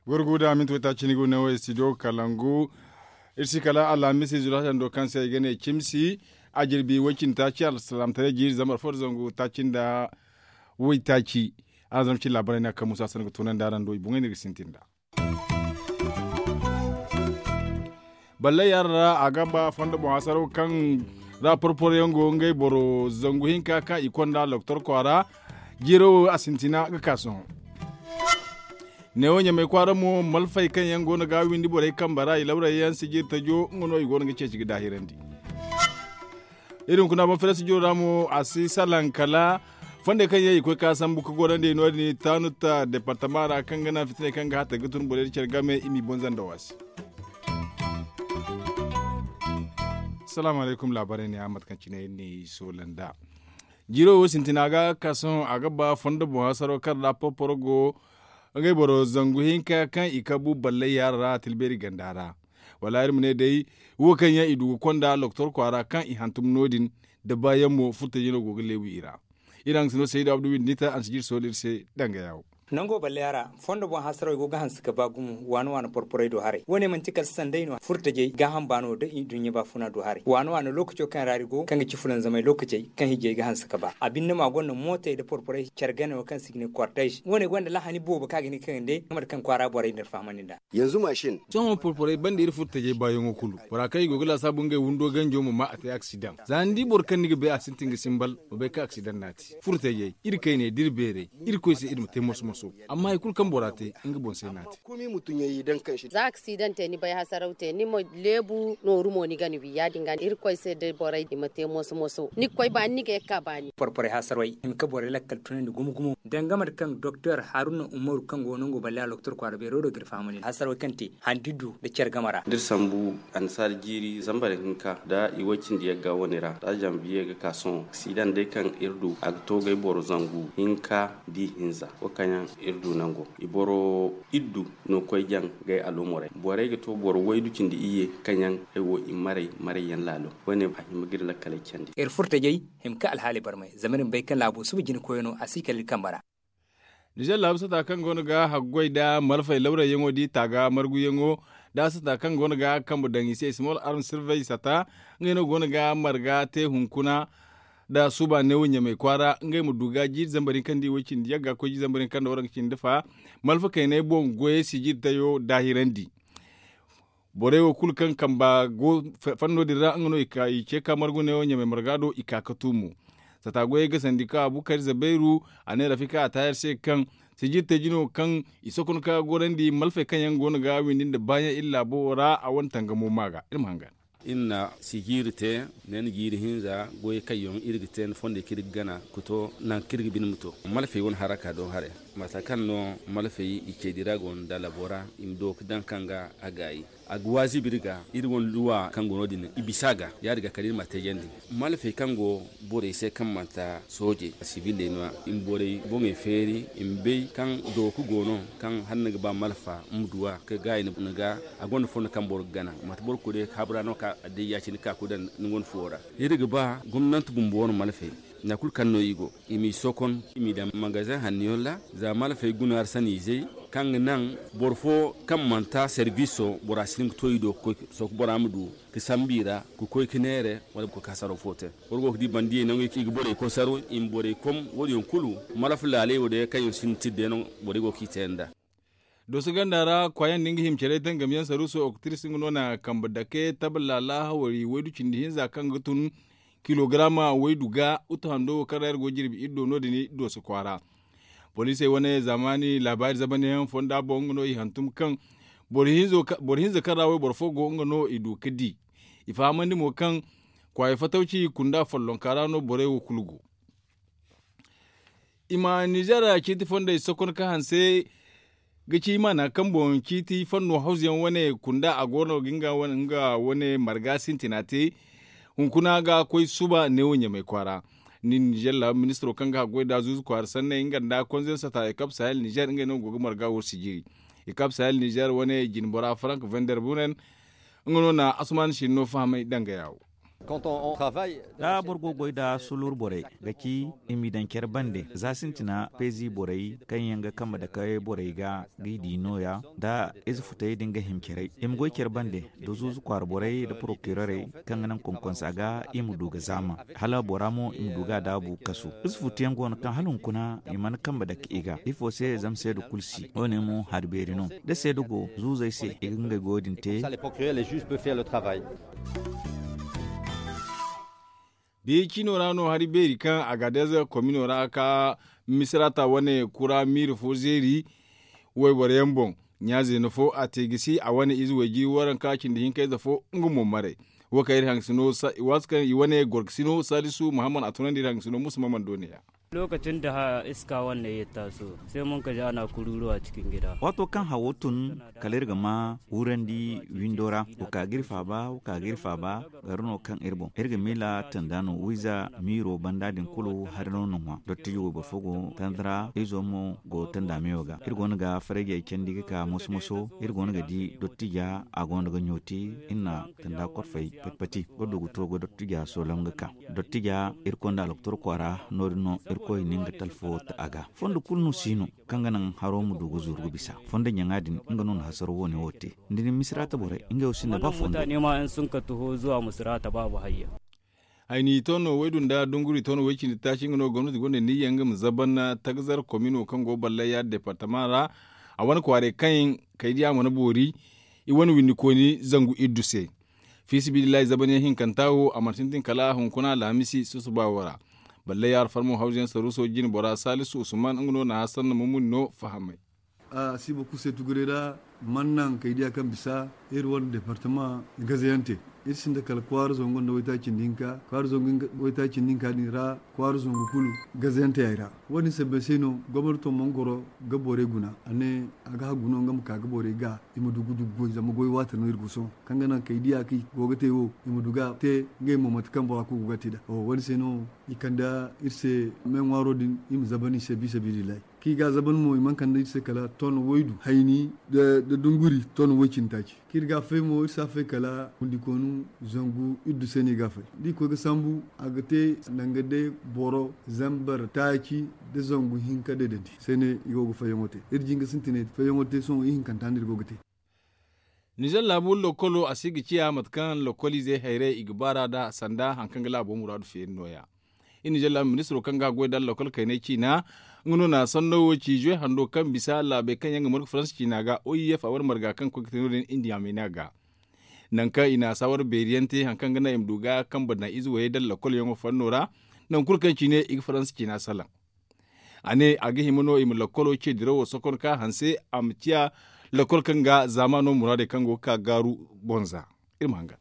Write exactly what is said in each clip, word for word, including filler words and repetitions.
Gurgu da minti waytaaci ni go ne wo studio kalangu. Iri si kala alhamis izo laasando kaŋ se i ga ne cimsi a jirbi way-cindi taaci alsalaamtaray jiiri zambar fo nda zangu taaci nda waytaaci. Araŋ zama cin laabaray no a kaŋ musa sanda ga toonandi araŋ do i boŋey no iri ga sintin nd'a. Balle yaŋ ra a ga ba fondo boŋ hasaraw kaŋ ra porporo yaŋ go ngey boro zangu hinka kaŋ i konda loktor kwaara. Jiiro wo a sintina ga ka sohõ. Neewo ɲamay kwaara mo malfay kaŋ yaŋ go no ga windi borey kambe ra i lawray yaŋ sijiri tajo nga no i go no ga ceeci ga daahirandi. Iri hunkuna boŋ fere sijiro ra mo a si salaŋ kala fondey kaŋ yaŋ i koy ka sambu ka gorandi no- din taanu ta departama ra kaŋ ga naŋ fitiney kaŋ ga hatta ga tun borey da care game i m'i boŋ zanda waasi. Salaamu alaykum laabaarey ne a mate kaŋ cine iri n'i soola nd'a. Jiiro wo sintina ga ka sohõ a ga ba fondo boŋ hasaro kaŋ ra porporo go ngey boro zangu hinka kaŋ i kabu ballay yaara ra a tilbeeri ganda ra. Wala iri ma ne day wo kaŋ yaŋ i du ga konda loktor kwaara kaŋ i hantum no- din da baayaŋ mo furtajey no go ga leebu i ra. Iri haŋ ga si no saydu abdu windi ni ta a na si jiri sooli iri se danga yaawo. Nango balleya ra fondo boŋ hasarey go ga hanse ga ba gumo waani waani porporey do haray wo- ne manti kala sanday no furtajey gaaham baano da i duɲɲa baafuna do haray waani waani lookaco kaŋ ra iri go kaŋ ga ci fulanzamay lookacey kaŋ hijey ga hanse ga ba a binde mo a gonda mootey nda porporey care gane wo kaŋ se i ga ne kortez wo- ne gonda lahani boobo kaŋ a ga hin ga kangandi nga mate kaŋ kwaara borey nda iri fahamandi nd'a. Sohõ porporey banda iri furtajey baayaŋo kulu bora kaŋ i go ga laasaabu ngey windo ganjo ma ma a te aksidaŋ za ni di boro kaŋ ni ga bay a sintin ga simbal ma bay kaŋ aksidaŋ no a te. Furtajey iri kayne da iri beerey irkoy se iri ma te moso moso amma hari kulu kaŋ bora te nga boŋ se no a te. Za aksidaŋ te ni bay hasaraw te ni ma leebu nooru mo ni ga ni wi ya- din ga irkoy se da borey i ma te moso moso ni ga koy baani ni ga ye ga ka baani. Porporey hasarey hima ka borey lakkal tunandi gumo gumo danga mate kaŋ doktor haruna umaru kaŋ go nango balla loktor kwaara beero do ga iri fahamandi hasarey kaŋ te handi du nda care game ra. Da iri sambu annasaara jiiri zambar hinka nda i way cindi yagga wane ra za zanbiye ga ka sohõ aksidaŋ day kaŋ iri du a ga to gay boro zangu hinka da i hinza wo kaŋ yaŋ iri du nango i boro iddu no koy jaŋ gay alumurey borey ga to boro waydu cindi iyye kaŋ yaŋ ay wo i maray maray yaŋ laalo. Wane a hima ga iri lakkaley candi. Iri furtajey hima ka alhaaley barmay zama iri ma bay kaŋ laabo suba jina koyey no a si kala iri kambe ra. Nizer laabu sata kaŋ go no ga haggoy nda malfay lawrayyaŋo da i taaga marguyaŋo nda sata kaŋ go no ga kambe daŋ i se small arm sirvey sata ngey no go no ga marga te hunkuna nda suba neewo ɲamay kwaara ngey ma du ga jiiri zambar hinka nda i way cindi yagga koy jiiri zambar hinka nda waranka cindi fa malfa kaynay boŋ goyey sijiri tayo daahirandi. Borey wo kulu kaŋ kamba go fanno din ra nga no i ce ka margu neewo ɲamay marga do i ka ga tu mo. Sata goyey ga sandi ka abukar zabairu a ne rafika a taayar se kaŋ sijiri taji no kaŋ i sokon ka gorandi malfey kaŋ yaŋ go no ga windi nda baayaŋ iri laabo ra a wane tangamo ma ga iri ma hangan. Iri na sijiiri te ne ni jiiri hinza goy kaŋ yaŋ iri ga te ni fondey kaŋ iri ga gana ga to nangu kaŋ iri ga bine ma to malfey wane haraka do haray. Mate kaŋ no malfey i ceedi ra go nda labo ra i ma do ga daŋ kaŋ ga a gaayi a ga waazibi iri ga iri wane luwa kaŋ go no- din i bisa a ga ya- din ga kala iri ma a teejandi. Malfey kaŋ go borey se kaŋ manti soojey a sibiley no- ya i ma borey boŋey feeri i ma bay kaŋ dooku go no kaŋ hala ni ga ba malfa ma du a ga gaayi ni ga a gonda fondo kaŋ boro ga gana manti boro ga koy day habura no ka a day ya- cine ka koy daŋ ni gonda fuwo ra. Iri ga ba gomnanti bumbo wane malfey nangu kulu kaŋ no i go i m'i sokon i m'i daŋ magazeŋ hanno yaŋ ra. Za malfey guna arsaniizey kaŋ ga naŋ boro fo kaŋ manti serbiso bora si hin ga to i do ga koy ga soko bora ma du ga sambu i ra ga koy ga neere wala ga koy ga hasaro fo te. Boro go ga di bandiyey nangu i ga borey kosaru i ma borey kom wo- din yaŋ kulu malfa laaley wo day kaŋ yaŋ sinda tirde no borey go ga i te nd'a. Dooso ganda ra kwaayaŋ din ga hima care tangamyaŋ saruuso oktiris nga no na kambe dake taba laala hawari waydu cindi hinza kaŋ ga tun kilogaraama waydu ga utu hando wo kaŋ ra iri go jirbi iri do no- din dooso kwaara. Poliisey wane zaamaani laabaari zamanyaŋ fonda boŋ nga no i hantum kaŋ boro hinza kaŋ ra wayboro fo go nga no i du ga di. I fahamandi mo kaŋ kwaayey fatawci kunda follonka ra no borey wo kulu go. I ma nizer ciiti fondey sokon ka hanse ga ci i maana kaŋ boŋ ciiti fanno hawzuyaŋ wane kunda a go no ga nga wane marga sintina te. Hunkuna ga koy suba neewo ɲamay kwaara ni nizer laabu ministiro kaŋ ga haggoy nda zuuzu kwaara sanney nga nda konzeŋ sata ekap sahel nizer ngey no go ga marga wo sijiri. Ekap sahel nizer wane jinbora frank vender bunen nga no na asuman siri no fahamay danga yawo. Da boro go goy da sulur borey ga ci i m'i daŋ care bande za sintina peezi borey kaŋ yaŋ ga kambe dake borey ga g'i di nooya, da ize futey din ga hima carey i ma goy care bande, da zuuzu kwaara borey da porokirorey kaŋ ga naŋ konkonsa ga i ma du ga zaama, hala bora mo i ma du ga a daabu kasu. Ize futu yaŋ go no kaŋ hala hunkuna i mana kambe dake i ga ifo se zama seeda kulu si wo- ne mo hari beeri no. Da seeda go zuuzey se i ga ngey goyo din te. Biya ciino ra no hari beeri kaŋ agadez komino ra ka misirata wane kura miiri fo zeeri wayboro yaŋ boŋ. Ɲa zeena fo a te gisi a wane ize wayjiri waranka cindi hinka ize fo nga mo maray. Wo kaŋ iri hangasino waati kaŋ i wane gorgasino salisu muhammad a tunandi iri hangasino musa maman do ne ya. Lookacin da iska wane ya taaso sai mun ka ja na kururuwa cikin gida. Waato kaŋ hawo tun kala iri ga ma wurandi windo ra, wo ka ga iri faaba wo ka ga iri faaba. Gari no kaŋ iri boŋ iri ga miila tanda no wiiza miiro banda din kulu hari no na ŋwa dottijo wayboro fo go tanda ra izo mo go tanda meyo ga iri go no ga farajey candi ga ka moso moso iri go no ga di dottija a go no ga ɲooti. Iri na tanda korfey pati pati ga du ga to ga dottija soolam ga ka dottija irkoy nda aloktor kwaara no- din no irkoy na nga talfo ta a ga fondo kulu no si no kaŋ ga naŋ haro ma du ga zuru ga bisa. Fondo ɲaŋa din nga no na hasaro wo- ne wo te. Ni di misirata borey ngey wo sinda ba fondo. Mutane ma in sun ka taho zuwa misirata babu hayya. Hayni tono waydu nda dunguri tono way cindi taaci nga no gomnati gonda niyya nga ma zaban tagazar komino kaŋ go ballaya departama ra. A wane kwaaray kaŋ kaydiya mana boori i wane windi kooni zangu iddu se. Fi sabilillahi zaban yaŋ hinkanta wo a mana sintin kala hunkuna alhamisi susuba wo ra. Ballaya alfarmo hawza yaŋ saruuso jine bora salisu usman nga no na hasanna mumuni no fahamay. A si boro kulu se tuguray ra mana naŋ kaydiya kaŋ bisa iri wane departama gazayante. Iri sinda kala kwaara zangu nda waytaaci nda hinka kwaara zangu waytaaci nda hinka din ra kwaara zangu kulu gazayante yaŋ ra. Wo- din sambe se no gomnato mana goro ga borey guna a ne a ga hagu no nga ma ka ga borey ga i ma du ga du ga goy zama goy waati no iri go sohõ kaŋ ga naŋ kaydiya kaŋ i go ga te wo i ma du ga te. Ngey mo mate kaŋ bora kulu go ga te nd'a wo- din se no i kande iri se me ŋwaaro din i ma zaban i se bisa bidillahi. Kaŋ i ga a zaban mo i mana kande iri se kala ton waydu hayni nda dunguri ton way cindi taaci kaŋ iri ga a fay mo iri si a fay kala windi koonu zangu iddu se no i ga a fay da i koy ga sambu a ga te nanga day boro zambar taaci nda zangu hinka deedandi se no i go ga fayyaŋo te. Iri jinga sintinay fayyaŋo te sohõ ihinkanta no iri go ga te. Nizer laabu lokolo a si ga ciya mate kaŋ lokoliizey hayray i ga baar'a nd'a sanda hari kaŋ ga laabo muraadu feeri no- ya. Iri nizer laabu ministiro kaŋ ga a goy nda lokol kaynay ciina nga no na sanno wo ci zuwe hando kaŋ bisa laabey kaŋ yaŋ ga margu faransa ciina ga o i f a wane marga kaŋ ga koy ga te no- din indiya meena ga. Nangu kaŋ i na saawara beeri yaŋ te hari kaŋ ga naŋ i ma du ga kambe daŋ ize wayey nda lokol yaŋo fanno ra. Nangu kulu kaŋ ciine i ga faransa ciina salaŋ. A ne a ga hima no i ma lakkolo ce diraw wo sokon ka hanse a ma ciya lakkol kaŋ ga zaamaano muraadey kaŋ go ga ka gaaru boŋ za. Iri ma hangan.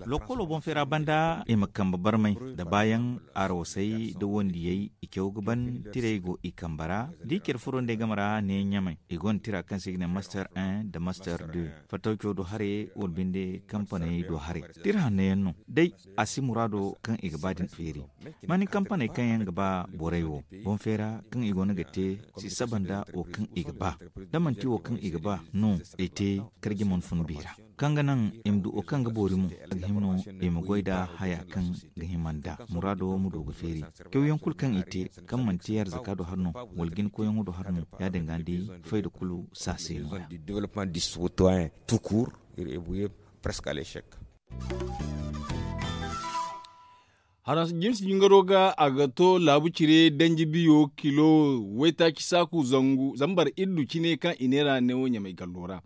Lakkolo boŋ feera banda i ma kambe barmay nda baayaŋ arwasay nda wandiyey i caw ga ban tirey go i kambe ra da i care furo nda ay game ra ne ɲamay i gonda tira kaŋ se i ga ne master un nda master deux. Fattaw caw do haray wala binde kampaney do haray tira hanno yaŋ no day a si muraado kaŋ i ga ba din feeri. Mani kampaney kaŋ yaŋ ga ba borey wo boŋ feera kaŋ i go no ga te si saba nda wo kaŋ i ga ba da manti wo kaŋ i ga ba no i te karji mana fun bi ra kaŋ ga naŋ i ma du wo kaŋ ga boori mo a ga hima no i ma goy nda haya kaŋ ga hima nda muraado ma du ga feeri. Cawyaŋ kulu kaŋ i te kaŋ manti arzaka do har no wala jina koyyaŋo do har mo ya- din ga ni di fayda kulu saase no. Tukur iri ebuye presque alechec. Haransa jimsi jingaro ga a ga to laabu cire danji biyo kilo waytaaci saaku zangu zambar iddu cine kaŋ i neera neewo ɲamay gallo ra.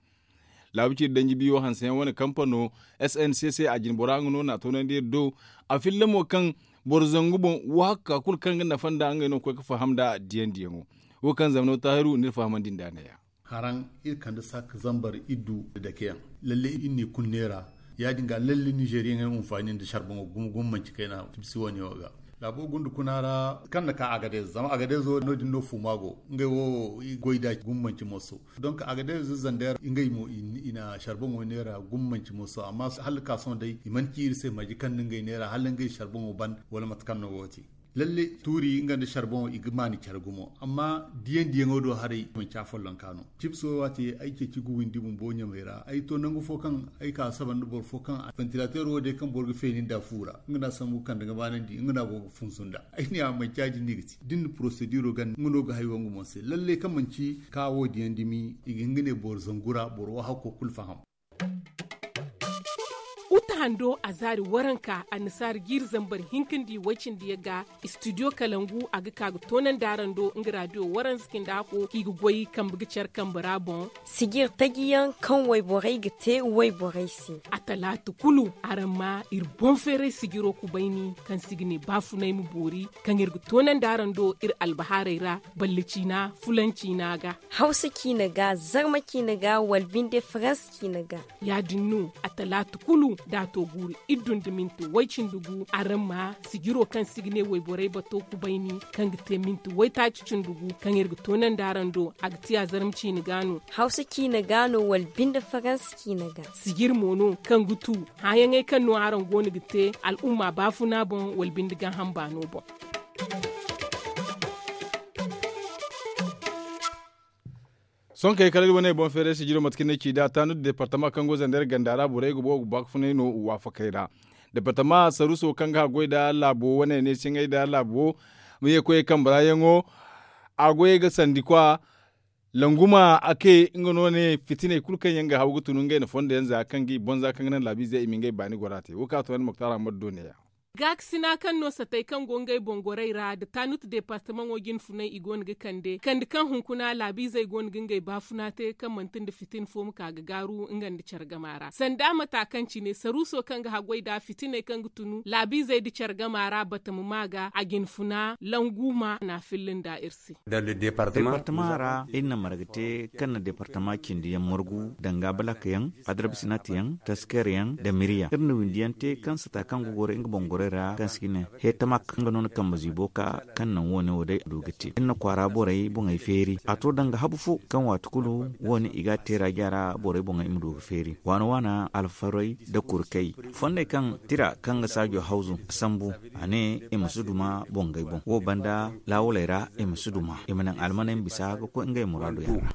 Laabu cire danji biyo hanseyaŋ wane kampano sncc a jinbora nga no na a toonandi iri do. A filla mo kaŋ boro zangu boŋ wo hakka kulu kaŋ ga nafa nda ngey no ga koy ga faham nda diyaŋ diyaŋo. Wo kaŋ zamano taahiru n'iri fahamandi nd'a neeya. Haraŋ iri kande sak zambar iddu dakeyaŋ. Lalle iri n'i kulu neera ya- din ga lalle nizeriyaŋey ma hunfaani nda sarboŋo gumo gumo manci kayna tibisi wane wo ga. Laabo gunda kuna ra kaŋ na ka agadez zama agadez wo no- din no fuuma go ngey wo i goy da gumo manci moso. Donk agadez zander ngey mo i na sarboŋo neera gumo manci moso amma hala ka sohõ day i mana ci iri se maji kaŋ nda ngey neera hala ngey sarboŋo ban wala mate kaŋ no go ga te. Lalle, tuuri nga nda sarbon i ga maani care gumo, amma diyaŋ diyaŋo do haray manci a follonka no. Cips wo waati ay ceeci ga windi bumbo ɲamey ra, ay to nangu fo kaŋ ay ka saba nda boro fo kaŋ, ventilateero wo day kaŋ boro ga feeni nda fu ra, nga no a sambu kande ga baanandi, nga no a go ga funsu nda ay ne a manci a jinni ga ti da ni na porosediro ganda nga no ga hay wangu mo se. Lalle kaŋ manci ka wo diyaŋ dumi, i ga hin ga ne boro zangu ra boro wo hakko kulu faham. Uta hando a zaari waranka annasaari jiiri zambar hinka nda i way cindi yaŋ ga. Istidiyo kalangu a ga ka ga toonandi araŋ do nga raadiyo waranza cindi hako kaŋ i ga goy kambe ga care kambe ra boŋ. Sijir taji yaŋ kaŋ wayborey ga te wayborey se. A talaata kulu araŋ ma iri boŋ feeray sijiro kubayni kaŋ se i ga ne baafunay ma boori, kaŋ iri ga toonandi araŋ do iri albahaarey ra, balle ciina fulan ciina ga. Hawsa ciina ga, zarma ciina ga, wala binde faransa ciina ga. Ya- din no a talaata kulu da a to guuru iddu nda minti way cindi gu araŋ ma sijiro kaŋ se i ga ne wayborey bato kubayni, kaŋ ga te minti waytaaci cindi gu, kaŋ iri ga toonandi araŋ do, a ga ti a zarma ciina ga no. Hawsa ciina ga no wala binde faransa ciina ga. Sijir mo no kaŋ ga tu hããyaŋey kaŋ no araŋ go no ga te al'umma baafuna boŋ wala binde gaaham baano boŋ. Sohõ kay kala iri wane boŋ feeray sijiro mate kaŋ ni ci nd'a taanu nda departama kaŋ go zandeer ganda ra borey ga boobo ga baafunay no waafakey ra. Departama saruuso kaŋ ga haggoy nda laabo wane ne siŋay nda laabo ma ye koyey kambe ra yaŋo. A goyey ga sandi kwa languma a ke nga no ne fitiney kulu kaŋ yaŋ ga haw ga tun ngey na fondo yaŋ za kaŋ ga i boŋ za kaŋ ga naŋ laabiizey i ma ngey baani gora te wo kaŋ a to yaŋ moktar ahmad do neeya. Gaakasina kaŋ no satey kaŋ go ngey boŋ gorey ra nda taanut departamaŋo jinfunay i go no ga kande kande kaŋ hunkuna laabiizey go no ga ngey baafuna te kaŋ manti nda fitin fo ma ka ga gaaru nga nda care gama ra sanda mata kaŋ cine saruuso kaŋ ga haggoy nd'a fitiney kaŋ ga tunu laabiizey nda care gama ra batama ma ga a jinfuna langu ma n'a filla nda iri se. Departama ra iri na marga te kaŋ na departama cindi yaŋ margu danga balak yaŋ, adarbisinat yaŋ, tasker yaŋ nda mirya iri na windi yaŋ te kaŋ sata kaŋ ga goro nga boŋ gorey ra kaŋ se ga ne heetamak nga no na kambe ziibo ka kaŋ naŋ wo- ne wo day a du ga te iri na kwaara borey boŋey feeri a to danga habu fo kaŋ waati kulu wo- ne i ga a te ra jaara borey boŋey i ma du ga feeri waana waana alfarey nda kurkey fondey kaŋ tira kaŋ ga saajo hawzu sambu a ne i ma si duma boŋey boŋ wo banda laawaley ra i ma si duma i ma naŋ almaney ma bisa ga koy ngey muraadu yaŋ ra.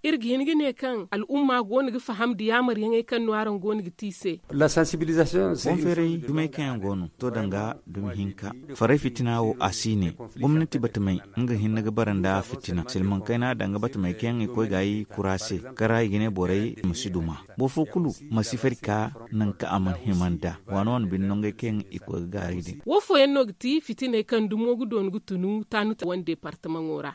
Iri ga hin ga ne kaŋ al'umma go no ga faham nda yaamaryaŋey kaŋ no araŋ go no ga te i se. Boŋ feeray dumey kaŋ yaŋ go no to danga dumi hinka faray fitina wo a si ne gomnati batamey nga hinne ga bara nda fitina silmaŋ kayna danga batamey kaŋ yaŋ i koy ga yi kura se kara i ga ne borey i ma si duma boro fo kulu ma si fari ka naŋ kaŋ a mana hima nda waano wane bine nongey kaŋ yaŋ i koy ga gaaray din. Wo fooyaŋ no ga ti fitiney kaŋ dumo ga doonu ga tunu taanu wane departamaŋo ra.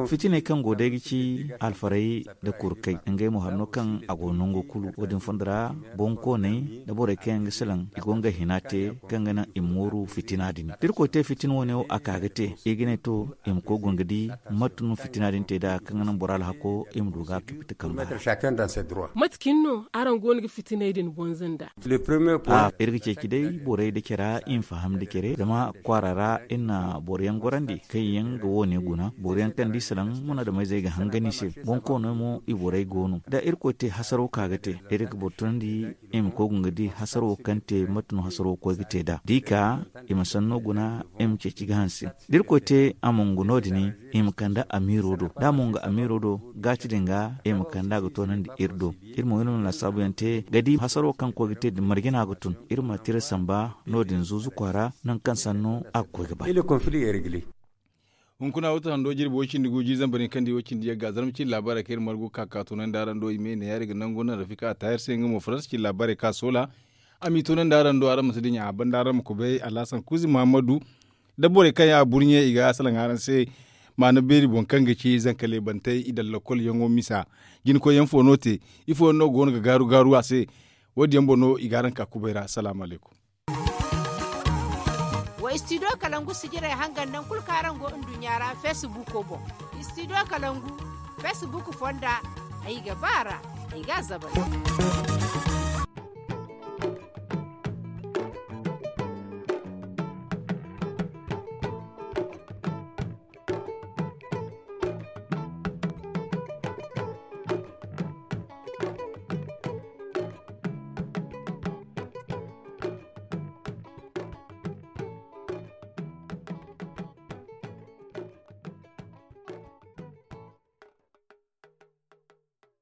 Fitiney kaŋ go day ga ci alfarey nda kurkey ngey mo hari no kaŋ a go nango kulu wo- din fondo ra boŋkooney nda borey kaŋ yaŋ ga salaŋ i go ngey hina te kaŋ ga naŋ i ma mooru fitina din da irkoy te fitina wo- ne wo a ka ga te i ga ne to i ma koy guna ga di mate no fitina din te nd'a kaŋ ga naŋ boro alhako i ma du ga a kibti kamba ra. Mate cine no araŋ go no ga fitiney din bonza nda? Iri ga ceeci day borey nda care i ma faham nda care zama kwaara ra iri na boro yaŋ gorandi kaŋ yaŋ ga wo- ne guna boro yaŋ kaŋ da i salaŋ munaadameyzey ga hangan i se boŋ koono mo i borey go no da irkoy te hasaro ka ga te iri ga boro tunandi i ma koy ga nga di hasaro kaŋ te mate no hasaro koy ga te nd'a da i ka i ma sanno guna i ma ceeci ga hanse da irkoy te a ma nga no- din i ma kande amiiro do da a ma nga amiiro do gaati din ga i ma kande a ga toonandi iri do iri mo iri ma laasaabu yaŋ te ga di hasaro kaŋ koy ga te din marje no a ga tun iri ma tira samba no- din zuuzu kwaara nangu kaŋ sanno a ga koy ga ba. Hunkuna wata hando jirbi way cindi gu jiiri zambar hinka nda way cindi yagga zarma cindi laabaarey kaŋ iri margu ka ka tunandi araŋ do i me ne ya iri ga nangu naŋ rafika a taahir se nga mo faransa cindi laabaarey ka soola a m'i tunandi araŋ do araŋ ma si dinya a banda araŋ ma kubay alhasan kuuzi muhammadu nda borey kaŋ yaŋ a burɲe i ga salaŋ araŋ se maana beeri boŋ kaŋ ga ci zankale bantey i daŋ lokol yaŋo misa jinkoy yaŋ fo no te ifo yaŋ no go no ga gaaru gaaru a se wo- din yaŋ boŋ no i ga araŋ ka kubay ra salaamu alaykum. Wa istidiyo kalangu sijirey hangan naŋ kulu kaŋ araŋ go nduɲɲa ra feesibuuko boŋ. Istidiyo kalangu feesibuuku fonda ay ga ba a ra ay ga a zabari.